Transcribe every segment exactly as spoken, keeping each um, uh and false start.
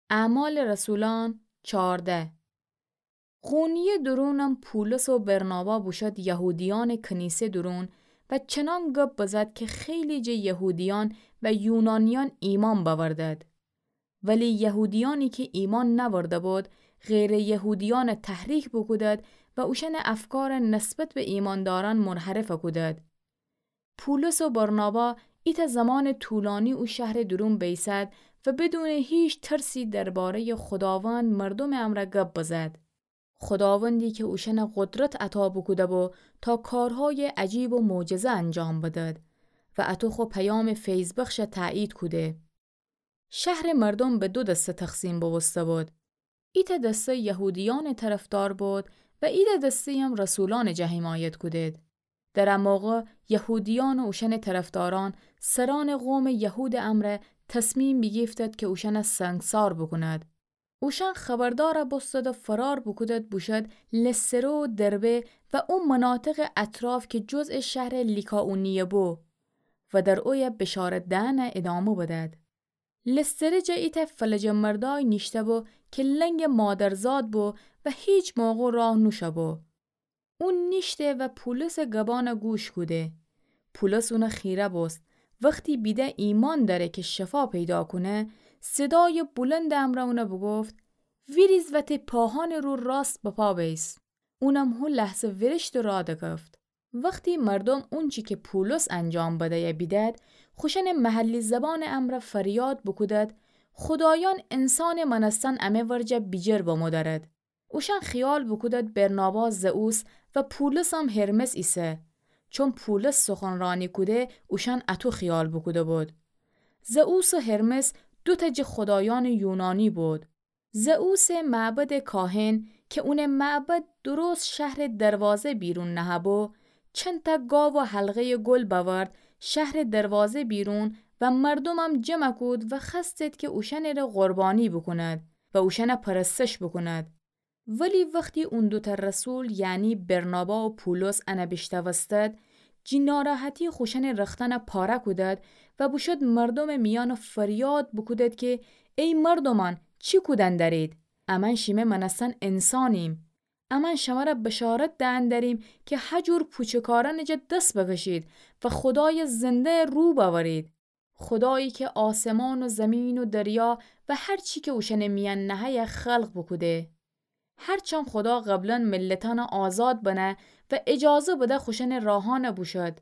اعمال رسولان چارده. قونیه درونم پولس و برنابا بوشد یهودیأنٚ کنیسه درون و چنان گب بزد که خیلی جٚه یهودیأن و یونانیأن ایمأن بأوردد. ولی یهودیأنی که ایمأن نأورده بود، غیرٚ یهودیأن تحریک بوکودد و اوشأنٚ افکار نسبت به ایمأندارأن منحرف کودد. پولس و برنابا ایتأ زمانٚ طولانی او شهرٚ درون بیسد و بدونٚ هیچ ترسی درباره‌یٚ خوداوند مردومٚ امرأ گب بزد. خوداوندی که اوشأن قدرت عطا بوکوده‌بو تا کارهای عجیب و معجزه انجام بدد و اطو خو پیامٚ فیض‌بخش تأیید کوده. شهرٚ مردوم به دو دسته تقسیم بوبوسته‌بود. ایتأ دسته یهودیأنٚ طرفدار بود و ایتأ دسته‌یم رسولأنٚ جا حمایت کودید. در ا موقع یهودیأن و اوشأنٚ طرفدارأن سرأنٚ قومٚ یهودٚ امرأ تصمیم بیگیفتد که اوشأن سنگسار بوکوند. اوشأن خبردار بوستد و فرار بوکودد بوشد لستره و دربه و او مناطقٚ اطراف که جزء شهرٚ لیکائونیه بو و در اویه بشارت دئن ادامه بدد. لستره جا ایتأ فلجٚ مردای نیشته‌بو که لنگٚ مادرزاد بو و هیچ موقع راه نوشوبو. او نیشته و پولسٚ گبأن گوش کوده. پولس اون خیره بوست. وختی بیده ایمأن دأره که شفا پیدا کونه، صدایٚ بلندٚ امرأ اون بوگفت: ویریز و تی پاهأنٚ رو راست بپا بیس. اونم هو لحظه ویریشت و راه دکفت. وختی مردوم اونچی که پولس انجام بدیه بیدد، خوشأنٚ محلی زبانٚ امرأ فریاد بوکودد: خودایأن انسانٚ مأنستن امه ورجه بیجر بمو دأرد. اوشأن خیال بوکودد برنابا زئوس و پولسم هرمس ایسه. چون پولس سخنرانی کوده، اوشأن اطو خیال بوکوده‌بود. زئوس و هرمس دوتأ جٚه خودایأنٚ یونانی بود. زئوسٚ معبدٚ کاهن که اونٚ معبد درست شهرٚ دروازه بیرون نهه‌بو، چندتأ گاو و حلقه‌یٚ گل بأورد، شهرٚ دروازه بیرون و مردومم جمع کود و خوأستد که اوشأنٚره قربانی بوکوند و اوشأن پرستش بوکوند. ولی وختی اون دوتأ رسول، یعنی برنابا و پولس، ان بیشنوستد، جٚه ناراحتی خوشأنٚ رختأن پاره کودد و بوشد مردومٚ میأن فریاد بوکودد که: ای مردومأن، چی کودن دأرید؟ امأن شیمه مأنستن انسانیم. امأن شمر بشارت دئن دأریم که هجور پوچکارأنٚ جا دس بکشید و خودایٚ زنده رو بأورید. خودایی که آسمان و زمین و دریا و هر چی که اوشأنٚ میأن نهه‌یه خلق بوکوده. هرچند خودا قبلا ملتأن آزاد بنه و اجازه بده خوشأنٚ راهأن بوشد،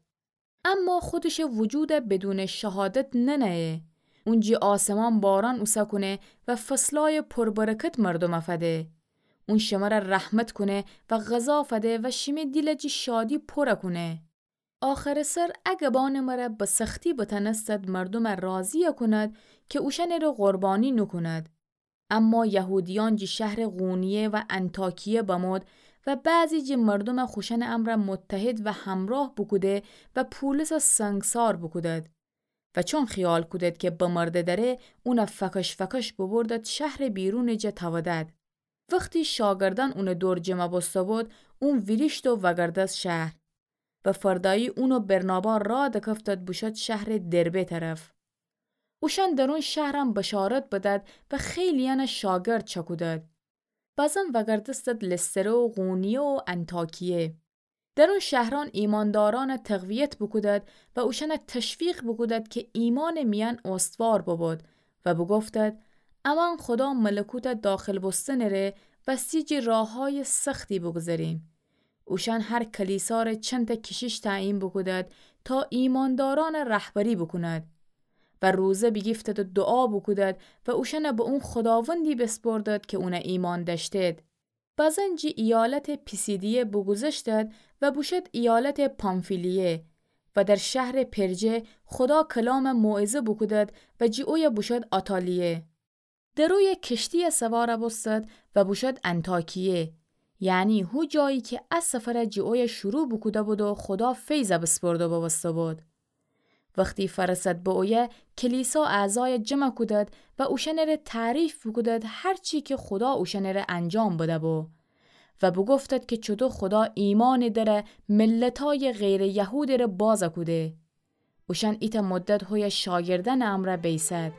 اما خودشٚ وجود بدونٚ شهادت ننهه. اون جٚه آسمان باران اوسه کونه و فصلای پربرکت مردوم فده. اون شمر رحمت کونه و غذا فده و شیمه دیل جٚه شادی پر کونه. آخرٚ سر ا گبأنٚ مر به سختی بتأنستد مردوم راضی کوند که اوشأنٚره قربانی نوکوند. اما یهودیأن جٚه شهرٚ قونیه و انطاکیه بمود و بعضی جٚه مردوم خوشأنٚ امر متحد و همراه بوکوده و پولس سنگسار بوکودد. و چون خیال کودد که بمرده دره، اون فکش فکش ببردد شهرٚ بیرونٚ جا تأودد. وختی شاگردأن اونٚ دور جمع بوسته‌بود، اون ویریشت و وگردست شهر. و فردایی اون و برنابا راه دکفتد بوشد شهرٚ دربه طرف. اوشأن در اون شهرم بشارت بدد و خیلی‌یأن شاگرد چکودد. بزن وگردستد لستره و قونیه و انطاکیه. در اون شهرأن ایماندارأن تقویت بوکودد و اوشأن تشویق بوکودد که ایمانٚ میأن استوار ببود و بوگفتد: امأن خودا ملکوت داخل بوستنٚره وستی جٚه راههای سختی بوگذریم. اوشأن هر کلیسا ره چندتأ کشیش تعیین بوکودد تا ایماندارأن رهبری بوکوند و روزه بیگیفتد و دوعا بوکودد و اوشأن به اون خوداوندی بیسپردد که اون ایمأن دأشتد. بزن جٚه ایالتٚ پیسیدیه بوگوذشتد و بوشد ایالتٚ پامفیلیه و در شهرٚ پرجه خودا کلام موعظه بوکودد و جٚه اویه بوشد آتالیه. در اویه کشتییه سوار بوستد و بوشد انطاکیه، یعنی هو جایی که ا سفر جٚه اویه شروع بوکوده‌بود و خودا فیض بیسپرده بوسته‌بود. وختی فرسد به اویه، کلیسا اعضای جمع کودد و اوشأنٚره تعریف بوکودد هر چی که خودا اوشأنٚره انجام بده‌بو و بوگفتد که چوطو خودا ایمانٚ در ملتای غیرٚ یهودٚره باز کوده. اوشأن ایتأ مدت هویه شاگردأنٚ امر بیسد.